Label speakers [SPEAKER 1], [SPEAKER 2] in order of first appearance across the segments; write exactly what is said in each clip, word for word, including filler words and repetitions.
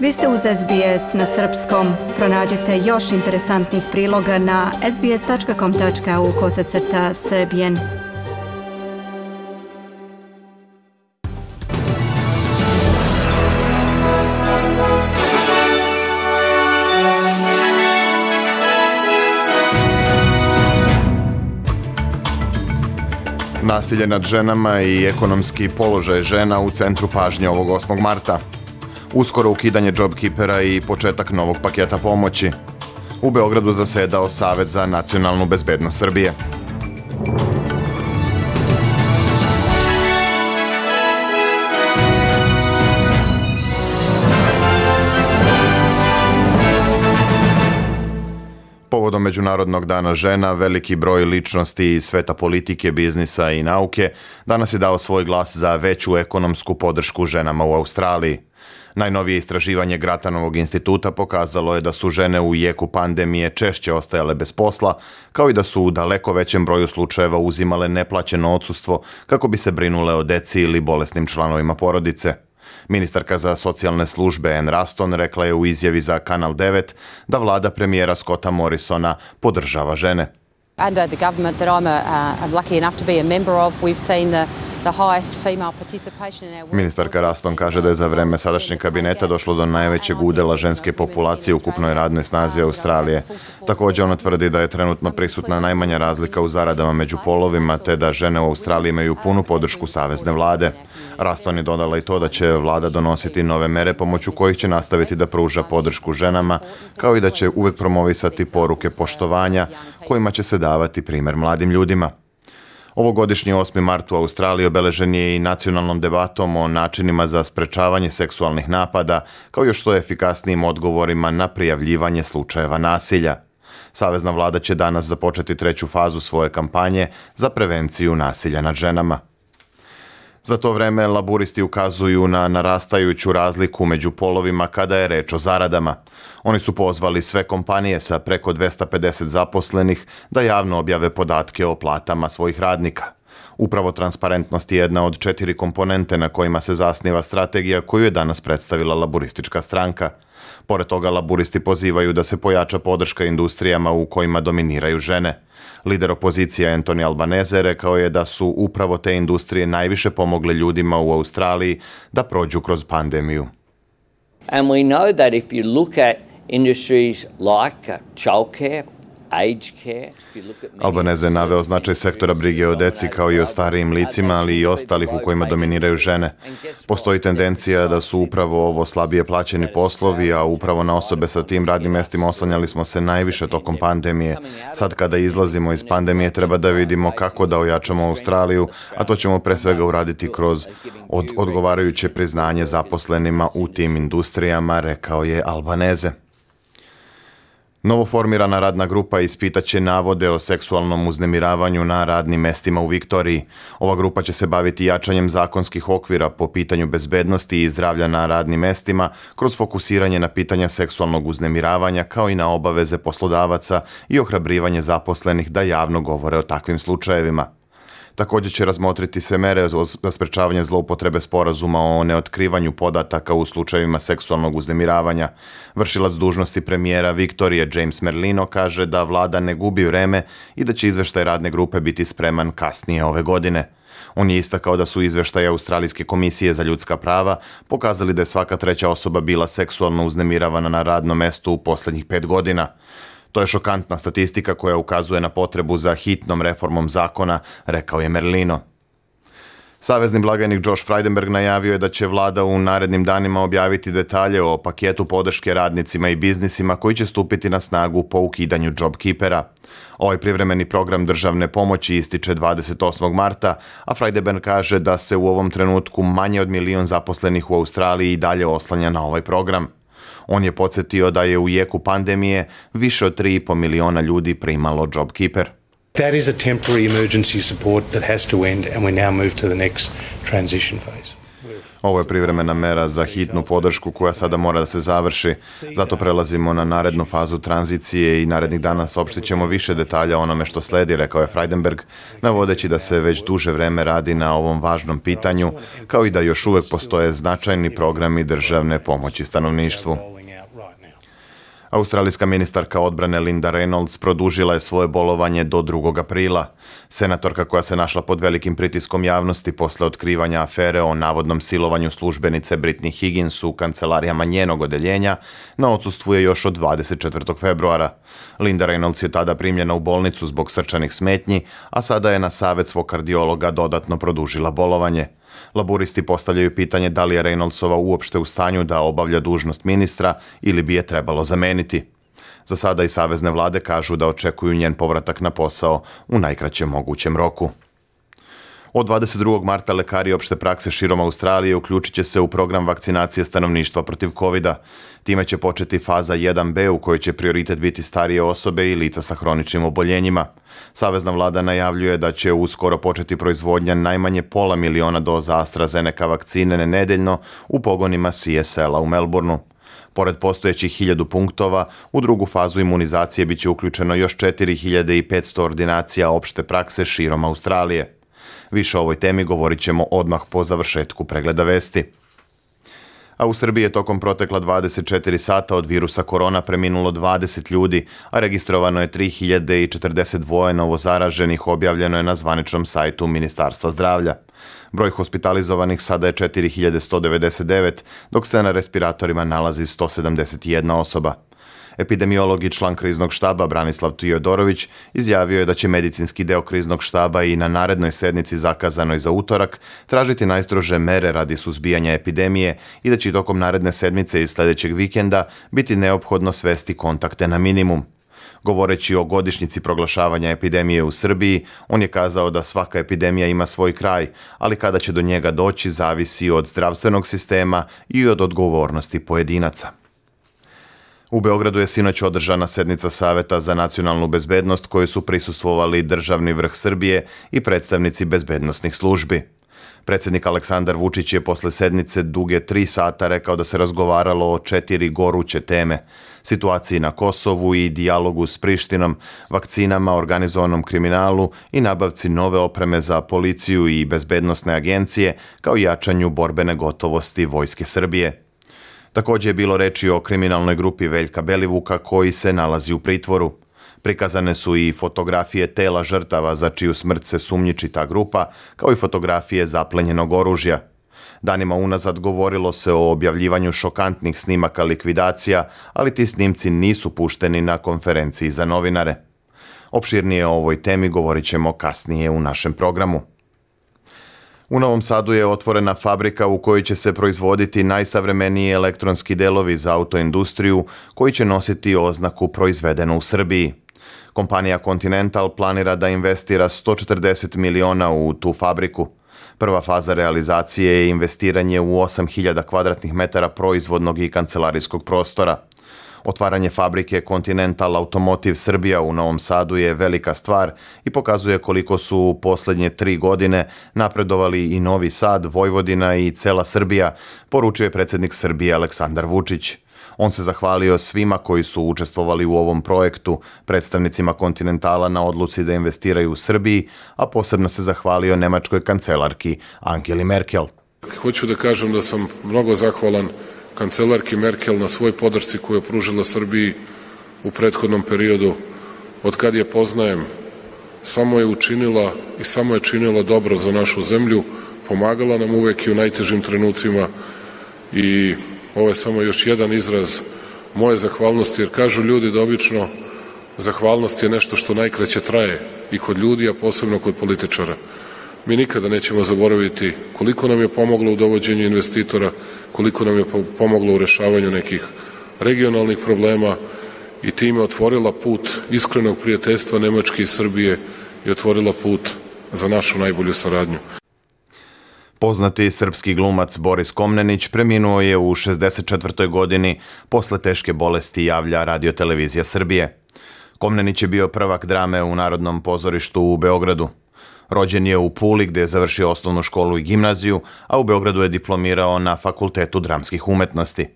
[SPEAKER 1] Vi ste uz S B S na srpskom. Pronađite još interesantnih priloga na sbs.com.au kosacrta srbijen.
[SPEAKER 2] Nasilje nad ženama i ekonomski položaj žena u centru pažnje ovog osmog marta. Uskoro ukidanje JobKeepera i početak novog paketa pomoći. U Beogradu zasedao Savet za nacionalnu bezbednost Srbije. Povodom Međunarodnog dana žena, veliki broj ličnosti iz sveta politike, biznisa i nauke danas je dao svoj glas za veću ekonomsku podršku ženama u Australiji. Najnovije istraživanje Gratanovog instituta pokazalo je da su žene u jeku pandemije češće ostajale bez posla, kao i da su u daleko većem broju slučajeva uzimale neplaćeno odsustvo kako bi se brinule o deci ili bolesnim članovima porodice. Ministarka za socijalne službe Ann Ruston rekla je u izjavi za Kanal devet da vlada premijera Scotta Morrisona podržava žene.
[SPEAKER 3] Under the government that I'm, a, uh, I'm lucky enough to be a member of, we've seen the
[SPEAKER 2] Ministarka Ruston kaže da je za vreme sadašnjeg kabineta došlo do najvećeg udela ženske populacije u ukupnoj radnoj snazi Australije. Također ona tvrdi da je trenutno prisutna najmanja razlika u zaradama među polovima, te da žene u Australiji imaju punu podršku savezne vlade. Ruston je dodala i to da će vlada donositi nove mere pomoću kojih će nastaviti da pruža podršku ženama, kao i da će uvek promovisati poruke poštovanja kojima će se davati primjer mladim ljudima. Ovogodišnji osmi mart u Australiji obeležen je i nacionalnom debatom o načinima za sprečavanje seksualnih napada, kao i što efikasnijim odgovorima na prijavljivanje slučajeva nasilja. Savezna vlada će danas započeti treću fazu svoje kampanje za prevenciju nasilja nad ženama. Za to vreme laburisti ukazuju na narastajuću razliku među polovima kada je reč o zaradama. Oni su pozvali sve kompanije sa preko dvesta pedeset zaposlenih da javno objave podatke o platama svojih radnika. Upravo transparentnost je jedna od četiri komponente na kojima se zasniva strategija koju je danas predstavila laburistička stranka. Pored toga, laburisti pozivaju da se pojača podrška industrijama u kojima dominiraju žene. Lider opozicije Anthony Albanese rekao je da su upravo te industrije najviše pomogle ljudima u Australiji da prođu kroz pandemiju.
[SPEAKER 4] And we know that if you look at industries like uh, childcare,
[SPEAKER 2] Albanese je naveo značaj sektora brige o deci kao i o starijim licima, ali i ostalih u kojima dominiraju žene. Postoji tendencija da su upravo ovo slabije plaćeni poslovi, a upravo na osobe sa tim radnim mjestima oslanjali smo se najviše tokom pandemije. Sad kada izlazimo iz pandemije treba da vidimo kako da ojačamo Australiju, a to ćemo pre svega uraditi kroz od odgovarajuće priznanje zaposlenima u tim industrijama, rekao je Albanese. Novoformirana radna grupa ispitaće navode o seksualnom uznemiravanju na radnim mestima u Viktoriji. Ova grupa će se baviti jačanjem zakonskih okvira po pitanju bezbednosti i zdravlja na radnim mestima kroz fokusiranje na pitanja seksualnog uznemiravanja kao i na obaveze poslodavaca i ohrabrivanje zaposlenih da javno govore o takvim slučajevima. Također će razmotriti se mere za sprečavanje zloupotrebe sporazuma o neotkrivanju podataka u slučajevima seksualnog uznemiravanja. Vršilac dužnosti premijera Viktorije James Merlino kaže da vlada ne gubi vreme i da će izveštaj radne grupe biti spreman kasnije ove godine. On je istakao da su izveštaje Australijske komisije za ljudska prava pokazali da je svaka treća osoba bila seksualno uznemiravana na radnom mestu u posljednjih pet godina. To je šokantna statistika koja ukazuje na potrebu za hitnom reformom zakona, rekao je Merlino. Savezni blagajnik Josh Frydenberg najavio je da će vlada u narednim danima objaviti detalje o paketu podrške radnicima i biznisima koji će stupiti na snagu po ukidanju JobKeepera. Ovaj privremeni program državne pomoći ističe dvadeset osmog marta, a Frydenberg kaže da se u ovom trenutku manje od milion zaposlenih u Australiji i dalje oslanja na ovaj program. On je podsjetio da je u jeku pandemije više od tri i po miliona ljudi primalo JobKeeper.
[SPEAKER 5] That is a temporary emergency support that has to end and we now move to the next transition phase.
[SPEAKER 2] Ovo je privremena mera za hitnu podršku koja sada mora da se završi. Zato prelazimo na narednu fazu tranzicije i narednih dana saopštit ćemo više detalja o onome što sledi, rekao je Frydenberg, navodeći da se već duže vreme radi na ovom važnom pitanju, kao i da još uvek postoje značajni programi državne pomoći stanovništvu. Australijska ministarka odbrane Linda Reynolds produžila je svoje bolovanje do drugog aprila. Senatorka koja se našla pod velikim pritiskom javnosti posle otkrivanja afere o navodnom silovanju službenice Britney Higgins u kancelarijama njenog odeljenja, na odsustvu je još od dvadeset četvrtog februara. Linda Reynolds je tada primljena u bolnicu zbog srčanih smetnji, a sada je na savet svog kardiologa dodatno produžila bolovanje. Laburisti postavljaju pitanje da li je Reynoldsova uopšte u stanju da obavlja dužnost ministra ili bi je trebalo zameniti. Za sada i savezne vlade kažu da očekuju njen povratak na posao u najkraćem mogućem roku. Od dvadeset drugog marta lekari opšte prakse širom Australije uključit će se u program vakcinacije stanovništva protiv kovida. Time će početi faza jedan be u kojoj će prioritet biti starije osobe i lica sa hroničnim oboljenjima. Savezna vlada najavljuje da će uskoro početi proizvodnja najmanje pola miliona doza AstraZeneca vakcine nedeljno u pogonima C S L-a u Melbourneu. Pored postojećih hiljadu punktova, u drugu fazu imunizacije biće uključeno još četiri hiljade petsto ordinacija opšte prakse širom Australije. Više o ovoj temi govorit ćemo odmah po završetku pregleda vesti. A u Srbiji je tokom protekla dvadeset četiri sata od virusa korona preminulo dvadeset ljudi, a registrovano je tri hiljade četrdeset dva novozaraženih, objavljeno je na zvaničnom sajtu Ministarstva zdravlja. Broj hospitalizovanih sada je četiri hiljade sto devedeset devet, dok se na respiratorima nalazi sto sedamdeset jedna osoba. Epidemiolog i član kriznog štaba Branislav Tijodorović izjavio je da će medicinski deo kriznog štaba i na narednoj sednici zakazanoj za utorak tražiti najstrože mere radi suzbijanja epidemije i da će tokom naredne sedmice i sledećeg vikenda biti neophodno svesti kontakte na minimum. Govoreći o godišnjici proglašavanja epidemije u Srbiji, on je kazao da svaka epidemija ima svoj kraj, ali kada će do njega doći zavisi od zdravstvenog sistema i od odgovornosti pojedinaca. U Beogradu je sinoć održana sednica Saveta za nacionalnu bezbednost kojoj su prisustvovali državni vrh Srbije i predstavnici bezbednosnih službi. Predsjednik Aleksandar Vučić je posle sednice duge tri sata rekao da se razgovaralo o četiri goruće teme: situaciji na Kosovu i dijalogu s Prištinom, vakcinama, organizovanom kriminalu i nabavci nove opreme za policiju i bezbednosne agencije, kao i jačanju borbene gotovosti Vojske Srbije. Također je bilo reči o kriminalnoj grupi Veljka Belivuka koji se nalazi u pritvoru. Prikazane su i fotografije tela žrtava za čiju smrt se sumnjiči ta grupa, kao i fotografije zaplenjenog oružja. Danima unazad govorilo se o objavljivanju šokantnih snimaka likvidacija, ali ti snimci nisu pušteni na konferenciji za novinare. Opširnije o ovoj temi govorit ćemo kasnije u našem programu. U Novom Sadu je otvorena fabrika u kojoj će se proizvoditi najsavremeniji elektronski delovi za autoindustriju koji će nositi oznaku proizvedeno u Srbiji. Kompanija Continental planira da investira sto četrdeset miliona u tu fabriku. Prva faza realizacije je investiranje u osam hiljada kvadratnih metara proizvodnog i kancelarijskog prostora. Otvaranje fabrike Continental Automotive Srbija u Novom Sadu je velika stvar i pokazuje koliko su u poslednje tri godine napredovali i Novi Sad, Vojvodina i cela Srbija, poručio je predsjednik Srbije Aleksandar Vučić. On se zahvalio svima koji su učestvovali u ovom projektu, predstavnicima Continentala na odluci da investiraju u Srbiji, a posebno se zahvalio nemačkoj kancelarki Angeli Merkel.
[SPEAKER 5] Hoću da kažem da sam mnogo zahvalan kancelarki Merkel na svoj podršci koju je pružila Srbiji u prethodnom periodu. Od kad je poznajem, samo je učinila i samo je činila dobro za našu zemlju, pomagala nam uvek i u najtežim trenucima i ovo je samo još jedan izraz moje zahvalnosti, jer kažu ljudi da obično zahvalnost je nešto što najkraće traje i kod ljudi, a posebno kod političara. Mi nikada nećemo zaboraviti koliko nam je pomoglo u dovođenju investitora, koliko nam je pomoglo u rešavanju nekih regionalnih problema i time otvorila put iskrenog prijateljstva Nemačke i Srbije i otvorila put za našu najbolju saradnju.
[SPEAKER 2] Poznati srpski glumac Boris Komnenić preminuo je u šezdeset četvrtoj godini posle teške bolesti, javlja Radio-televizija Srbije. Komnenić je bio prvak drame u Narodnom pozorištu u Beogradu. Rođen je u Puli gdje je završio osnovnu školu i gimnaziju, a u Beogradu je diplomirao na Fakultetu dramskih umetnosti.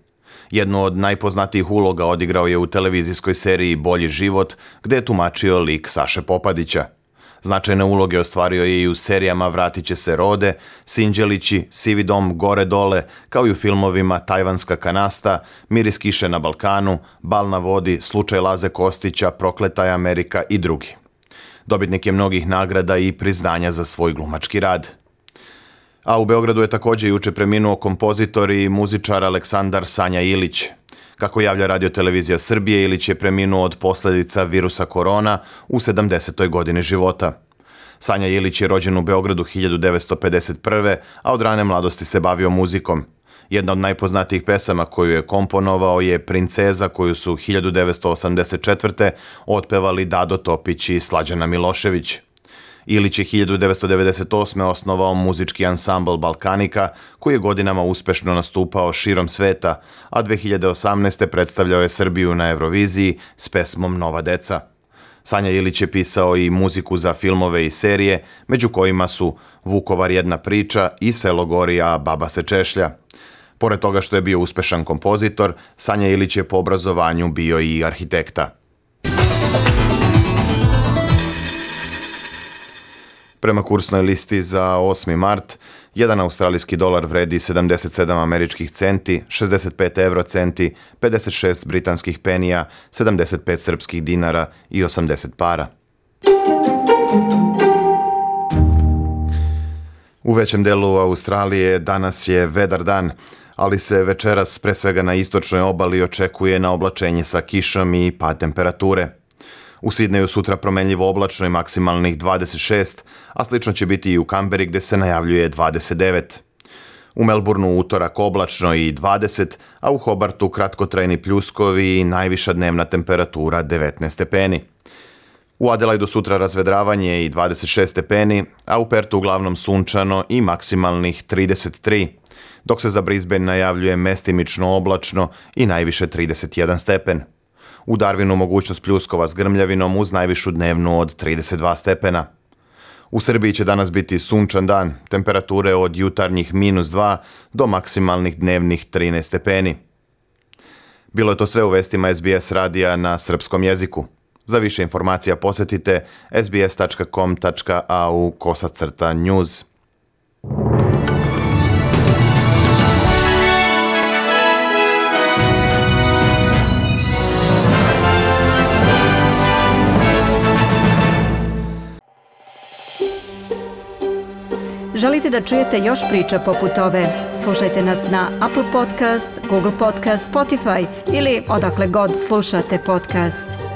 [SPEAKER 2] Jednu od najpoznatijih uloga odigrao je u televizijskoj seriji Bolji život, gdje je tumačio lik Saše Popadića. Značajne uloge ostvario je i u serijama Vratit će se Rode, Sinđelići, Sivi dom, Gore dole, kao i u filmovima Tajvanska kanasta, Miris kiše na Balkanu, Bal na vodi, Slučaj Laze Kostića, Prokleta je Amerika i drugi. Dobitnik je mnogih nagrada i priznanja za svoj glumački rad. A u Beogradu je također juče preminuo kompozitor i muzičar Aleksandar Sanja Ilić. Kako javlja Radio-televizija Srbije, Ilić je preminuo od posljedica virusa korona u sedamdesetoj godini života. Sanja Ilić je rođen u Beogradu hiljadu devetsto pedeset prve. a od rane mladosti se bavio muzikom. Jedna od najpoznatijih pesama koju je komponovao je Princeza, koju su hiljadu devetsto osamdeset četvrte. otpevali Dado Topić i Slađana Milošević. Ilić je hiljadu devetsto devedeset osme. osnovao muzički ansambl Balkanika, koji je godinama uspešno nastupao širom sveta, a dve hiljade osamnaeste. predstavljao je Srbiju na Euroviziji s pesmom Nova deca. Sanja Ilić je pisao i muziku za filmove i serije, među kojima su Vukovar jedna priča i Selo gori, a baba se češlja. Pored toga što je bio uspešan kompozitor, Sanja Ilić je po obrazovanju bio i arhitekta. Prema kursnoj listi za osmi mart, jedan australijski dolar vredi sedamdeset sedam američkih centi, šezdeset pet euro centi, pedeset šest britanskih penija, sedamdeset pet srpskih dinara i osamdeset para. U većem delu Australije danas je vedar dan, ali se večeras pre svega na istočnoj obali očekuje na oblačenje sa kišom i pad temperature. U Sidneju sutra promenljivo oblačno i maksimalnih dvadeset šest, a slično će biti i u Kamberi gdje se najavljuje dvadeset devet. U Melbourneu utorak oblačno i dvadeset, a u Hobartu kratkotrajni pljuskovi i najviša dnevna temperatura devetnaest stepeni. U Adelaidu sutra razvedravanje i dvadeset šest stepeni, a u Pertu uglavnom sunčano i maksimalnih trideset tri, dok se za Brisbane najavljuje mestimično oblačno i najviše trideset jedan stepen. U Darwinu mogućnost pljuskova s grmljavinom uz najvišu dnevnu od trideset dva stepena. U Srbiji će danas biti sunčan dan, temperature od jutarnjih minus dva do maksimalnih dnevnih trinaest stepeni. Bilo je to sve u vestima es be es radija na srpskom jeziku. Za više informacija posjetite es be es tačka com tačka a u kosacrta news.
[SPEAKER 1] Želite da čujete još priča poput ove? Slušajte nas na Apple Podcast, Google Podcast, Spotify ili odakle god slušate podcast.